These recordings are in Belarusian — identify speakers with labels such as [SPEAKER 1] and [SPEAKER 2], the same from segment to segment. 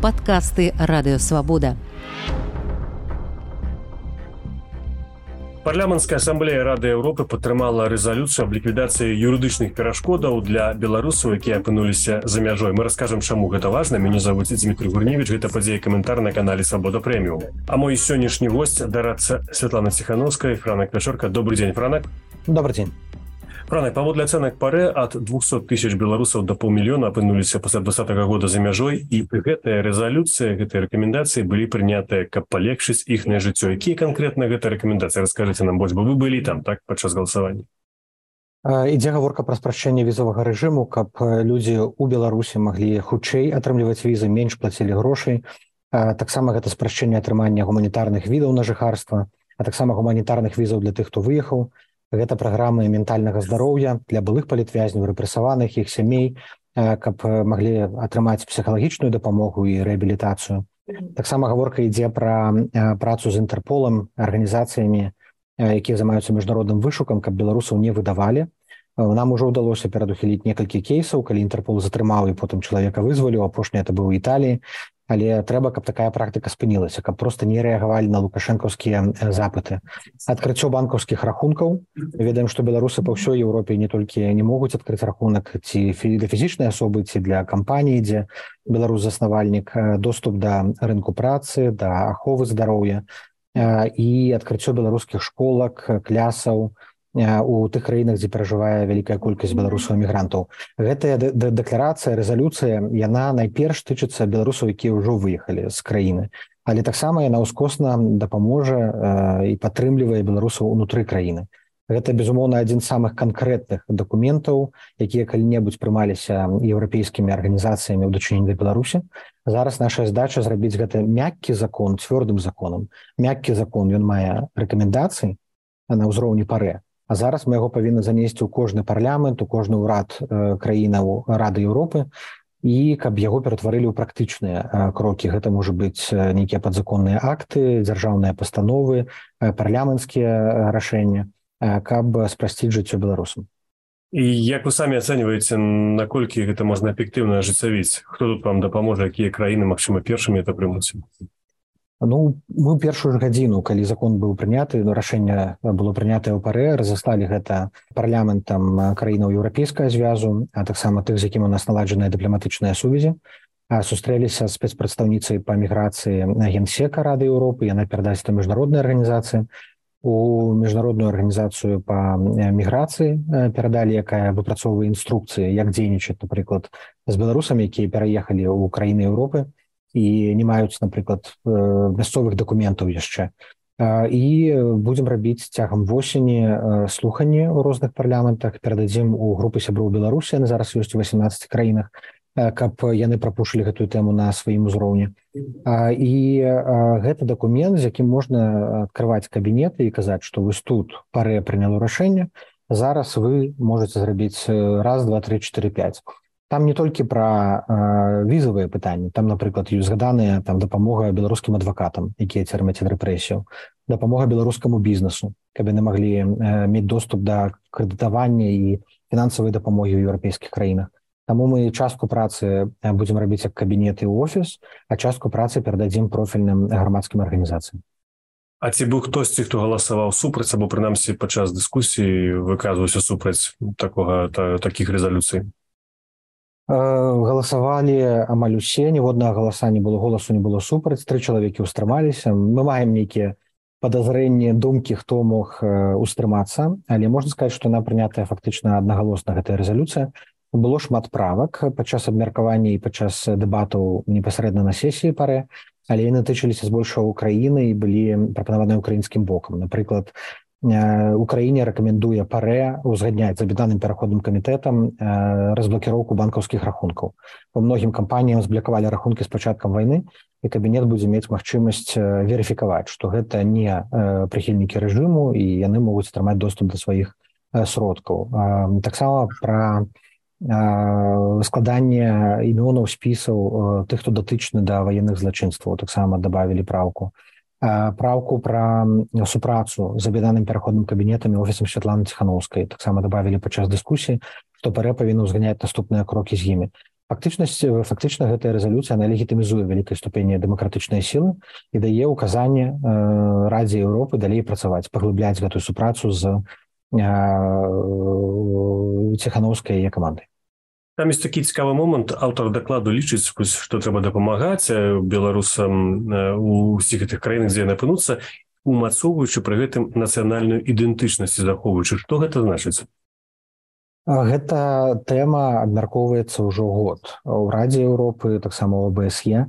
[SPEAKER 1] Падкасты Радыёвабода.
[SPEAKER 2] Парламенцкая асамблея Рады Еўропы падтрымала рэзалюцыю аб ліквідацыі юрыдычных перашкодаў для беларусаў, якія апынуліся за мяжой. Мы раскажам, чаму гэта важна. Мяне зовут Дмітрий Гурневич, гэта падзея каментар на канале Свабода Прэміум. А мой сённяшні госць дарадца Святлана Ціхановская, Франак Пячорка. Добрый день, Франак.
[SPEAKER 3] Добрый день.
[SPEAKER 2] Франак, паводле ацэнак ПАРЭ, ад 200 тысяч беларусаў да паўмільёна апынуліся пасля 2020 года за мяжой, і гэтая рэзалюцыя, гэтыя рэкамендацыі былі прынятыя, каб палегчыць іхняе жыццё. Якія канкрэтна гэтыя рэкамендацыі? Раскажыце нам больш, бо вы былі там, так, падчас галасавання.
[SPEAKER 3] Ідзе гаворка пра спрашчэнне візавага рэжыму, каб людзі ў Беларусі маглі хутчэй атрымліваць візы, менш плацілі грошай. Таксама гэта спрашчэнне атрымання гуманітарных відаў на жыхарства, а таксама гуманітарных візаў для тых, хто выехаў. Гэта праграмы ментальнага здароўя для былых палітвязняў, рэпрэсаваных, іх сямей, каб маглі атрымаць псіхалагічную дапамогу і рэабілітацыю. Таксама гаворка ідзе пра працу з Інтэрполам, арганізацыямі, якія займаюцца міжнародным вышукам, каб беларусаў не выдавалі. Нам ужо ўдалося перадухіліць некалькі кейсаў, калі Інтэрпол затрымаў і потым чалавека вызваліў, апошні это быў у Італіі. Але трэба, каб такая практыка спынілася, каб проста не рэагавалі на лукашэнкаўскія запыты. Адкрыццё банкаўскіх рахункаў. Ведаем, што беларусы па ўсёй Еўропе не толькі не могуць адкрыць рахунак ці для фізічнай асобы, ці для кампаніі, дзе беларус-заснавальнік, доступ да рынку працы, да аховы здароўя і адкрыццё беларускіх школак, клясаў у тых краінах, дзе перажывае вялікая колькасць беларусаў-эмігрантаў. Гэтая дэкларацыя, рэзалюцыя, яна найперш тычыцца беларусаў, якія ўжо выехалі з краіны. Але таксама яна ўскосна дапаможа і падтрымлівае беларусаў унутры краіны. Гэта, безумоўна, адзін з самых канкрэтных дакументаў, якія калі-небудзь прымаліся еўрапейскімі арганізацыямі ў дачыненні да Беларусі. Зараз наша задача зрабіць гэта мяккі закон, цвёрдым законам. Мяккі закон, ён мае рэкамендацыі на ўзроўні ПАРЭ. А зараз мы яго павінны занесці ў кожны парламент, у кожны ўрад краінаў Рады Еўропы, і каб яго ператварылі ў практычныя крокі. Гэта можа быць нейкія падзаконныя акты, дзяржаўныя пастановы, парламенцкія рашэнні, каб спрасціць жыццё беларусам.
[SPEAKER 2] І як вы самі ацэньваеце, наколькі гэта можна эфектыўна ажыццявіць? Хто тут вам дапаможа, якія краіны, магчыма, першымі это прымуць?
[SPEAKER 3] Мы першую ж гадзіну, калі закон быў прыняты, рашэнне было прынятае ў ПАРЭ, разаслалі гэта парламентам краінаў еўрапейскага звязу, а таксама тых, з якім у нас наладжаныя дыпламатычныя сувязі. Сустрэліся з спецпрадстаўніцай па міграцыі Генсека Рады Еўропы, яна перадасць да міжнароднай арганізацыі. У міжнародную арганізацыю па міграцыі перадалі, якая выпрацоўвае інструкцыі, як дзейнічаць, напрыклад, з беларусамі, якія пераехалі ў краіны Еўропы і не маюць, напрыклад, мясцовых дакументаў яшчэ. І будзем рабіць цягам восені слуханні ў розных парламентах, перададзім у групы сяброў Беларусі, яны зараз ёсць у 18 краінах, каб яны прапушылі гэтую тэму на сваім узроўні. І гэта дакумент, з якім можна адкрываць кабінеты і казаць, што вось тут ПАРЭ прыняло рашэнне, зараз вы можаце зрабіць раз, два, тры, чатыры, пяць. Там не толькі пра візавыя пытанні, там, напрыклад, ёсць згаданыя дапамога беларускім адвакатам, якія церпяць рэпрэсію, дапамога беларускаму бізнесу, каб яны маглі мець доступ да крэдытавання і фінансавай дапамогі ў еўрапейскіх краінах. Таму мы частку працы будзем рабіць як кабінет і офіс, а частку працы перададзім профільным грамадскім арганізацыям.
[SPEAKER 2] А ці быў хтосьці, хто галасаваў супраць, або прынамсі падчас дыскусіі выказваўся супраць такіх рэзалюцый?
[SPEAKER 3] Галасавалі амаль усе, ніводнага галасу не было супраць, 3 чалавекі ўстрымаліся. Мы маем нейкія падазрэнні, думкі, хто мог устрымацца, але можна сказаць, што яна прынятая фактычна аднагалосна, гэтая рэзалюцыя. Было шмат правак падчас абмеркавання і падчас дэбатаў непасрэдна на сесіі ПАРЭ, але яны тычыліся збольшага ўкраіны і былі прапанаваныя ўкраінскім бокам. Напрыклад, Украіне рэкамендуе ПАРЭ узгадняць з аб'яднаным пераходным камітэтам разблакіроўку банкаўскіх рахункаў. Па многім кампаніям зблакавалі рахункі з пачаткам вайны, і кабінет будзе мець магчымасць верыфікаваць, што гэта не прыхільнікі рэжыму і яны могуць атрымаць доступ да сваіх сродкаў. Таксама пра складанне імёнаў спісаў тых, хто датычны да ваенных злачынстваў, таксама дабавілі праўку. Праўку пра супрацу з аб'яднаным пераходным кабінетам і офісам Святланы Ціхановскай таксама дабавілі падчас дыскусіі, што ПАРЭ павінна ўзганяць наступныя крокі з імі. Фактычна гэтая рэзалюцыя она легітымізуе вялікай ступені дэмакратычнай сілы і дае ўказанне Радзе Еўропы далей працаваць, паглыбляць гэтую супрацу з Ціханаўскай яе камандай.
[SPEAKER 2] Там ёсць такі цікавы момант. Аўтар дакладу лічыць, што трэба дапамагаць беларусам у ўсіх гэтых краінах, дзе яны апынуцца, умацоўваючы пры гэтым нацыянальную ідэнтычнасць і захоўваючы. Што гэта значыць?
[SPEAKER 3] Гэта тэма абмяркоўваецца ўжо год у Радзе Еўропы, таксама ў ОБСЕ,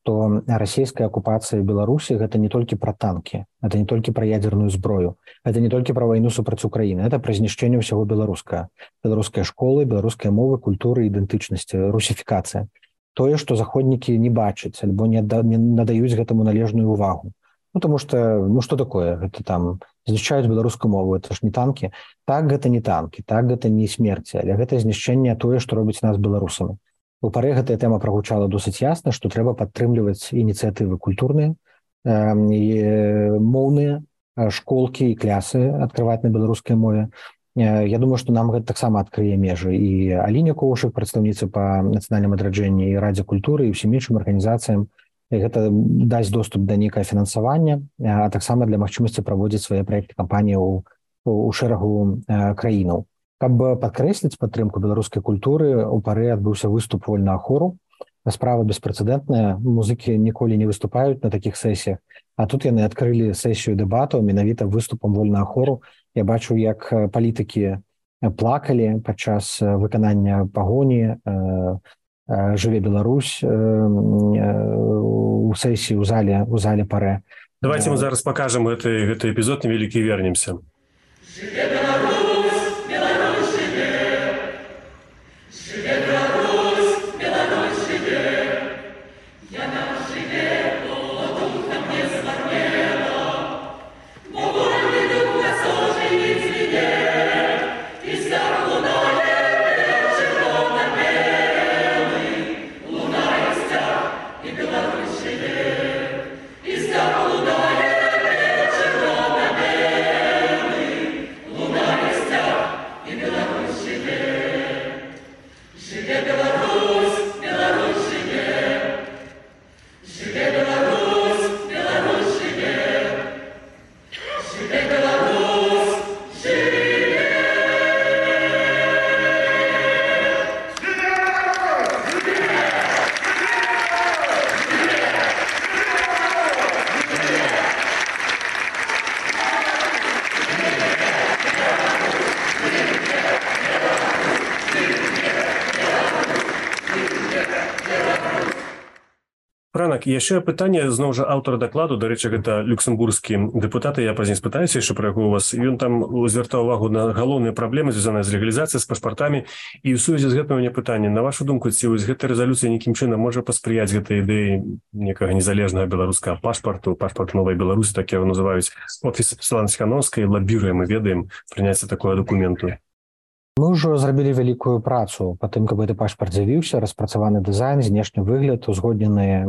[SPEAKER 3] што расійская акупацыя Беларусі гэта не толькі пра танкі, это не толькі пра ядзерную зброю, это не толькі пра вайну супраць Украіны, это пра знішчэнне ўсяго беларускай школы, беларускай мовы, культуры, ідэнтычнасці, русіфікацыя. Тое, што заходнікі не бачаць альбо не надаюць гэтаму належную ўвагу. Тому што, што такое? Гэта там знішчаюць беларускую мову, это ж не танкі. Так, гэта не танкі, так, гэта не смерці, але гэта знішчэнне тое, што робіць нас беларусамі. У паре гэтая тэма прагучала досыць ясна, што трэба падтрымліваць ініцыятывы культурныя, моўныя, школкі і клясы адкрываць на беларускай мове. Я думаю, што нам гэта таксама адкрые межы. І Аліне Коўшык, прадстаўніца па нацыянальным адраджэнні і Радзе культуры і ўсім іншым арганізацыям, гэта дасць доступ да нейкае фінансавання, а таксама для магчымасці праводзіць свае праекты кампаніі у шэрагу краінаў. Каб падкрэсліць падтрымку беларускай культуры, у паре адбыўся выступ вольнага хору. Справа беспрэцэдэнтная, музыкі ніколі не выступаюць на такіх сесіях, а тут яны адкрылі сесію дэбатаў менавіта выступам вольнага хору. Я бачу, як палітыкі плакалі падчас выканання пагоні «Жыве Беларусь» у сесіі у зале паре.
[SPEAKER 2] Давайте мы зараз покажем гэты эпізод невялікі і вернемся. Жыве Беларусь, Беларусь жыве! Жыве Беларусь, Беларусь жыве! Яна жыве, бо духам не змарнела, бо вольны дух нас ожывіць звіне, і стар лунае чырвона-белы, лунае сцяг, і Беларусь жыве, і стар лунае чырвона-белы, лунае сцяг, і Беларусь жыве. Жыве Беларусь, Беларусь жыве! Жыве Беларусь, Беларусь жыве! Жыве Беларусь, жыве! Ранак, яшчэ пытанне зноў жа аўтара дакладу, дарэчы, гэта люксембургскі дэпутат, я пазней спытаюся яшчэ пра яго у вас. Ён там звяртаў увагу на галоўныя праблемы, звязаныя з легалізацыяй, з пашпартамі. І ў сувязі з гэтым у мяне пытанне. На вашу думку, ці гэта рэзалюцыя нейкім чынам можа паспрыяць гэтай ідэі некага незалежнага беларускага пашпарту, пашпарт новай Беларусі, так яго называюць. Офіс Святланы Ціханаўскай лабіруе, мы ведаем, прыняцце такога дакументу.
[SPEAKER 3] Мы ўжо зрабілі вялікую працу па тым, каб гэты пашпарт з'явіўся, распрацаваны дызайн, знешні выгляд, узгодненыя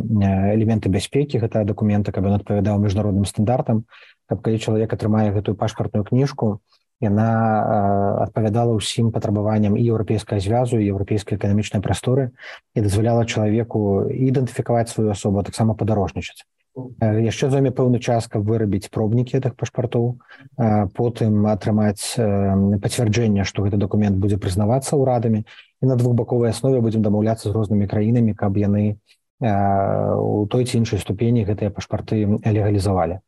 [SPEAKER 3] элементы бяспекі гэтага дакумента, каб ён адпавядаў міжнародным стандартам, каб калі чалавек атрымае гэтую пашпартную кніжку, яна адпавядала ўсім патрабаванням і еўрапейскага звязу, і еўрапейскай эканамічнай прасторы і дазваляла чалавеку ідэнтыфікаваць сваю асобу, а таксама падарожнічаць. Яшчэ зойме пэўны час, каб вырабіць пробнікі гэтых пашпартоў, потым атрымаць пацвярджэнне, што гэты дакумент будзе прызнавацца ўрадамі, і на двухбаковай аснове будзем дамаўляцца з рознымі краінамі, каб яны у той ці іншай ступені гэтыя пашпарты легалізавалі.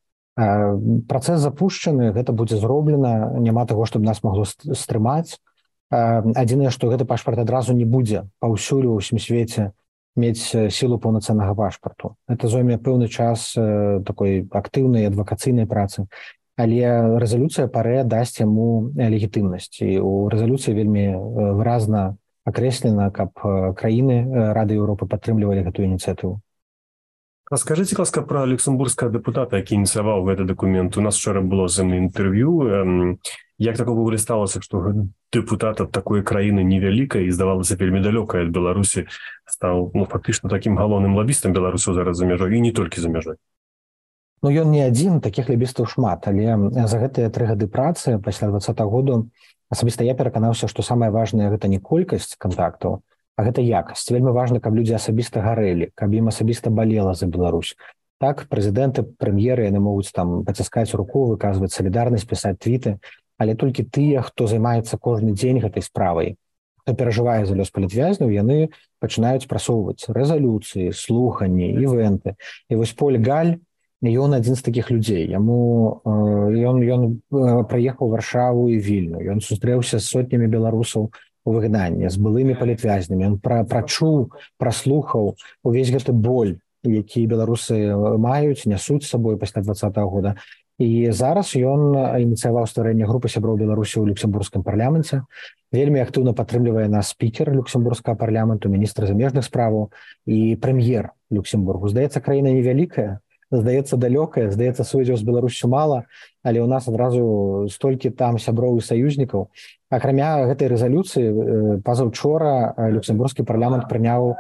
[SPEAKER 3] Працэс запушчаны, гэта будзе зроблена, няма таго, што б нас магло стрымаць. Адзінае, што гэты пашпарт адразу не будзе паўсюль у ўсім свеце мець сілу паўнацэннага пашпарту. Это зойме пэўны час такой актыўнай адвакацыйнай працы, але рэзалюцыя паре дасць яму легітымнасць. І ў рэзалюцыі вельмі выразна акрэслена, каб краіны Рады Еўропы падтрымлівалі гэтую ініцыятыву.
[SPEAKER 2] Раскажыце, ласка, пра люксембургскага дэпутата, які ініцыяваў гэты дакумент. У нас вчора было з ім інтэрв'ю. Як такого ўвогуле сталося, што дэпутат ад такой краіны невялікай і, здавалася, вельмі далёкай ад Беларусі стаў фактычна такім галоўным лабістам беларусаў зараз за мяжой, і не толькі за мяжой?
[SPEAKER 3] Ён не адзін, такіх лабістаў шмат, але за гэтыя 3 гады працы пасля 2020 году асабіста я пераканаўся, што самае важнае гэта не колькасць кантактаў, А гэта якасць. Вельмі важна, каб людзі асабіста гарэлі, каб ім асабіста балела за Беларусь. Так, прэзідэнты, прэм'еры, яны могуць там паціскаць руку, выказваць салідарнасць, пісаць твіты, але толькі тыя, хто займаецца кожны дзень гэтай справай, хто перажывае за лёс палітвязняў, яны пачынаюць прасоўваць рэзалюцыі, слуханні, івенты. І вось Поль Галь, ён адзін з такіх людзей. Ён прыехаў у Варшаву і Вільню. Ён сустрэўся з сотнямі беларусаў у выгнанні, з былымі палітвязнямі. Ён прачуў, праслухаў увесь гэты боль, які беларусы маюць, нясуць з сабой пасля 2020 года. І зараз ён ініцыяваў стварэнне групы сяброў Беларусі ў люксембургскім парламенце. Вельмі актыўна падтрымлівае нас спікер люксембургскага парламенту, міністр замежных справаў і прэм'ер Люксембургу. Здаецца, краіна невялікая, здаецца, далёкая, здаецца, сувязяў з Беларусю мала, але ў нас адразу столькі там сяброў і саюзнікаў. Акрамя гэтай рэзалюцыі, пазаўчора люксембургскі парламент прыняў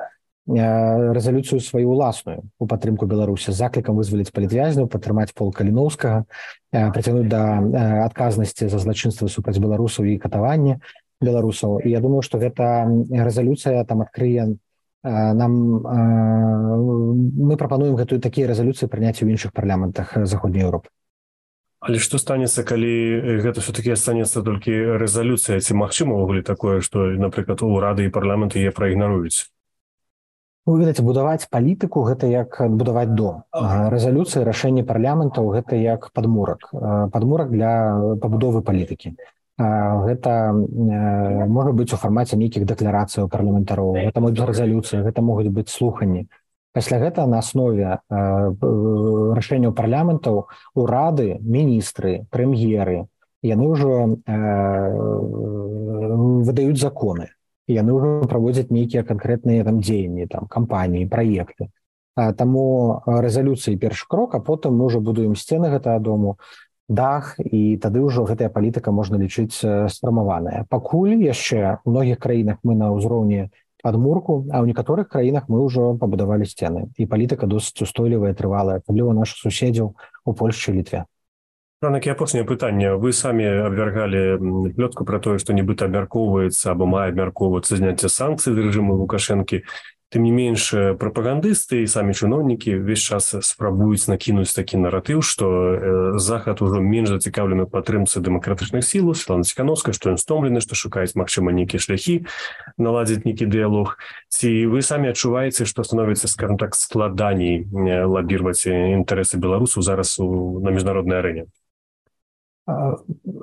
[SPEAKER 3] рэзалюцыю сваю ўласную у падтрымку Беларусі з заклікам вызваліць палітвязняў, падтрымаць Пола Каліноўскага, прыцягнуць да адказнасці за злачынствы супраць беларусаў і катаванне беларусаў. І я думаю, што гэта рэзалюцыя там адкрые нам... Мы прапануем такія рэзалюцыі прыняць у іншых парламентах Заходняй Еўропы.
[SPEAKER 2] Але што станецца, калі гэта все-таки станецца толькі рэзалюцыя? Ці магчыма ўвогуле такое, што, напрыклад, урады і парламенты яе праігнаруюць?
[SPEAKER 3] Вы ведаеце, будаваць палітыку – гэта як будаваць дом. Рэзалюцыі, рашэнні парламентаў – гэта як падмурак. Падмурак для пабудовы палітыкі. Гэта можа быць у фармаце нейкіх дэкларацыяў парламентароў, гэта могуць быць рэзалюцыі, гэта могуць быць слуханні. Пасля гэта на аснове рашэнняў парламентаў урады, міністры, прэм'еры, яны ўжо выдаюць законы. Яны ўжо праводзяць нейкія канкрэтныя там дзеянні, там кампаніі, праекты. Таму рэзалюцыі першы крок, а потым мы ўжо будуем сцены гэтага дому, дах, і тады ўжо гэтая палітыка можна лічыць сфармаваная. Пакуль яшчэ ў многіх краінах мы на ўзроўні падмурку, а ў некаторых краінах мы ўжо пабудавалі сцены. І палітыка досыць устойлівая, трывалая, асабліва нашых суседзяў у Польшчы і Літве.
[SPEAKER 2] Ранак, апошняе пытанне. Вы самі абвяргалі плётку пра тое, што нібыта абмяркоўваецца або мае абмяркоўвацца зняцце санкцый з рэжыму Лукашэнкі. Тым не менш, прапагандысты і самі чыноўнікі ўвесь час спрабуюць накінуць такі наратыў, што Захад ужо менш зацікаўлены ў падтрымцы дэмакратычных сілаў, Светлана Ціханаўская, што ён стомлены, што шукаюць, магчыма, нейкія шляхі наладзіць нейкі дыялог. Ці вы самі адчуваеце, што становіцца, скажем так, складаней лабіраваць інтарэсы беларусаў зараз на міжнароднай арэне?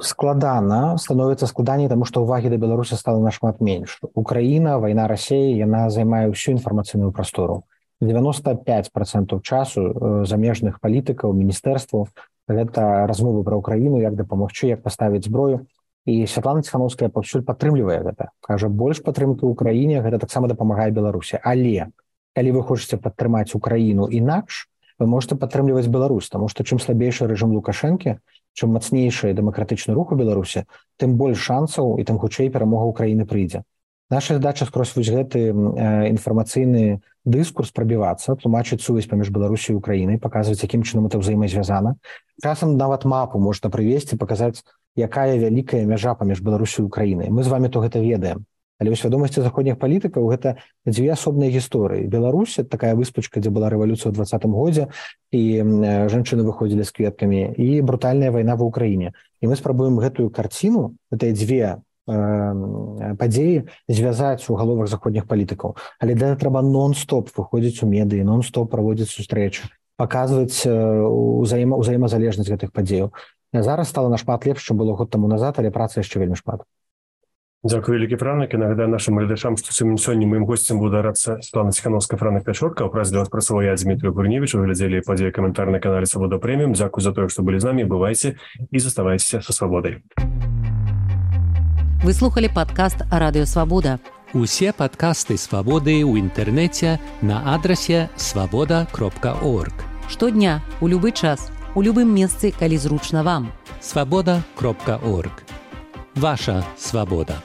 [SPEAKER 3] Складана, становіцца складаней, таму што ўвагі да Беларусі стала нашмат менш. Украіна, вайна Расіі, яна займае ўсю інфармацыйную прастору. 95% часу замежных палітыкаў, міністэрстваў гэта размовы пра Украіну, як дапамагчы, як паставіць зброю. І Святлана Ціханаўская паўсюль падтрымлівае гэта. Кажа, больш падтрымкі ў Украіне, гэта таксама дапамагае Беларусі. Але, калі вы хочаце падтрымаць Украіну інакш, вы можете падтрымліваць Беларусь, таму што чым слабейшы рэжым Лукашэнкі, чым мацнейшы дэмакратычны рух у Беларусі, тым больш шансаў і тым хутчэй перамога Украіны прыйдзе. Наша задача скрозь вось гэты інфармацыйны дыскурс прабівацца, тлумачыць сувязь паміж Беларусі і Украінай, паказваць, якім чынам это ўзаемазвязана. Часам нават мапу можна прывесці, паказаць, якая вялікая мяжа паміж Беларусі і Украінай. Мы з вамі то гэта ведаем. Але ў свядомасці заходніх палітыкаў гэта дзве асобныя гісторыі. Беларусь – такая выспачка, дзе была рэвалюцыя ў 2020 годзе, і жанчыны выходзілі з кветкамі, і брутальная вайна ва ўкраіне. І мы спрабуем гэтую карціну, гэтыя дзве падзеі звязаць у галовах заходніх палітыкаў. Але для трэба нон-стоп выходзіць у медыі, нон-стоп праводзіць сустрэчы, паказваць узаемазалежнасць гэтых падзеяў. Зараз стала нашмат лепш, чым было год таму назад, але працы яшчэ вельмі шмат.
[SPEAKER 2] Дзякую, вялікі Франак. І нагадаю нашим глядачам, што сёння маім госцем буде рацца Светлана Ціханаўская, Франак Пячорка. У празе для вас працаваў я, Дмітрий Гурневич. Вы глядзелі падзеі каментар на канале Свабода Прэміум. Дзякуй за тое, што былі з намі. Бывайце і заставайцеся са свабодай.
[SPEAKER 1] Вы слухали падкаст «Радыё Свабода».
[SPEAKER 4] Усе падкасты Свабоды ў інтэрнэце на адрасе swaboda.org.
[SPEAKER 1] Штодня, у любы час, у любым месцы, калі зручна вам.
[SPEAKER 4] swaboda.org. Ваша свабода.